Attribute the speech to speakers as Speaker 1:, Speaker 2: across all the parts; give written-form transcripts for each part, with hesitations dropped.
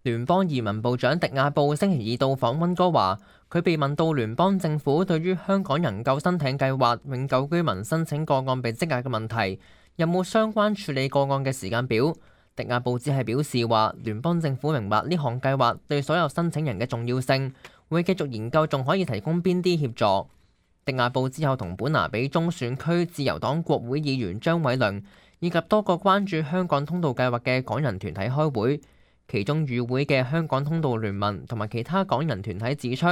Speaker 1: 聯邦移民部長迪亞布星期二到訪溫哥華，佢被問到聯邦政府對於香港人救生艇計劃永久居民申請個案被積壓嘅問題，有冇相關處理個案嘅時間表？迪亞布只係表示話，聯邦政府明白呢項計劃對所有申請人嘅重要性，會繼續研究仲可以提供邊啲協助。迪亞布之後同本拿比中選區自由黨國會議員張偉良以及多個關注香港通道計劃嘅港人團體開會。其中與會嘅香港通道聯盟同埋其他港人團體指出，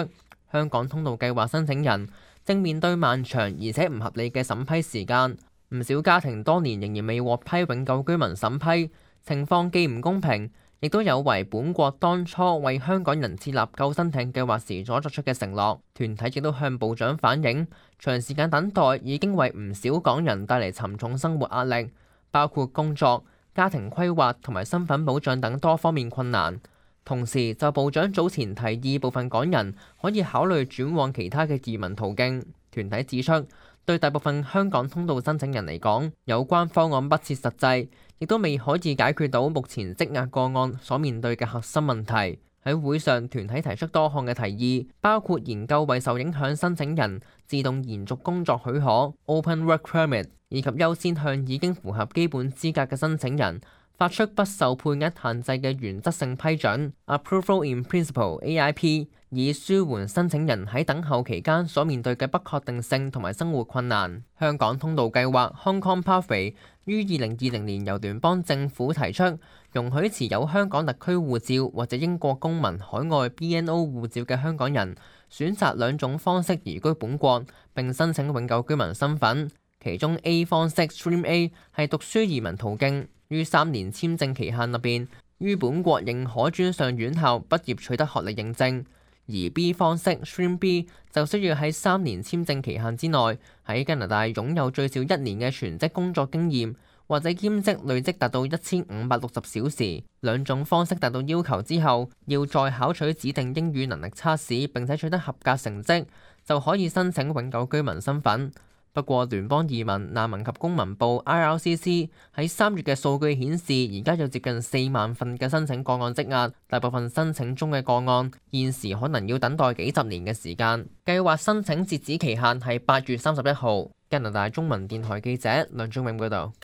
Speaker 1: 香港通道計劃申請人正面對漫長而且唔合理嘅審批時間，唔少家庭多年仍然未獲批永久居民審批，情況既唔公平，亦都有違本國當初為香港人設立救生艇計劃時所作出嘅承諾。團體亦都向部長反映，長時間等待已經為唔少港人帶嚟沉重生活壓力，包括工作、家庭規劃同埋身份保障等多方面困難。同時，就部長早前提議部分港人可以考慮轉往其他嘅移民途徑，團體指出，對大部分香港通道申請人嚟講，有關方案不切實際，亦都未可以解決到目前積壓個案所面對嘅核心問題。喺會上，團體提出多項嘅提議，包括研究為受影響申請人自動延續工作許可 （Open Work Permit） 以及優先向已經符合基本資格嘅申請人發出不受配額限制嘅原則性批准 （Approval in Principle，AIP），以舒緩申請人喺等候期間所面對嘅不確定性同埋生活困難。香港通道計劃 （Hong Kong Pathway）於2020年由聯邦政府提出，容許持有香港特區護照或者英國公民海外 BNO 護照嘅香港人選擇兩種方式移居本國，並申請永久居民身份。其中 A 方式 Stream A 係讀書移民途徑，於3年簽證期限入邊，於本國認可專上院校畢業取得學歷認證。而 B 方式 Stream B 就需要喺3年簽證期限之內，喺加拿大擁有最少1年嘅全職工作經驗，或者兼職累積達到1560小時。兩種方式達到要求之後，要再考取指定英語能力測試並且取得合格成績，就可以申請永久居民身份。不過，聯邦移民、難民及公民部 IRCC 喺3月嘅數據顯示，而家有接近4萬份嘅申請個案積壓，大部分申請中嘅個案現時可能要等待幾十年嘅時間。計劃申請截止期限係8月31號。加拿大中文電台記者梁忠永報導。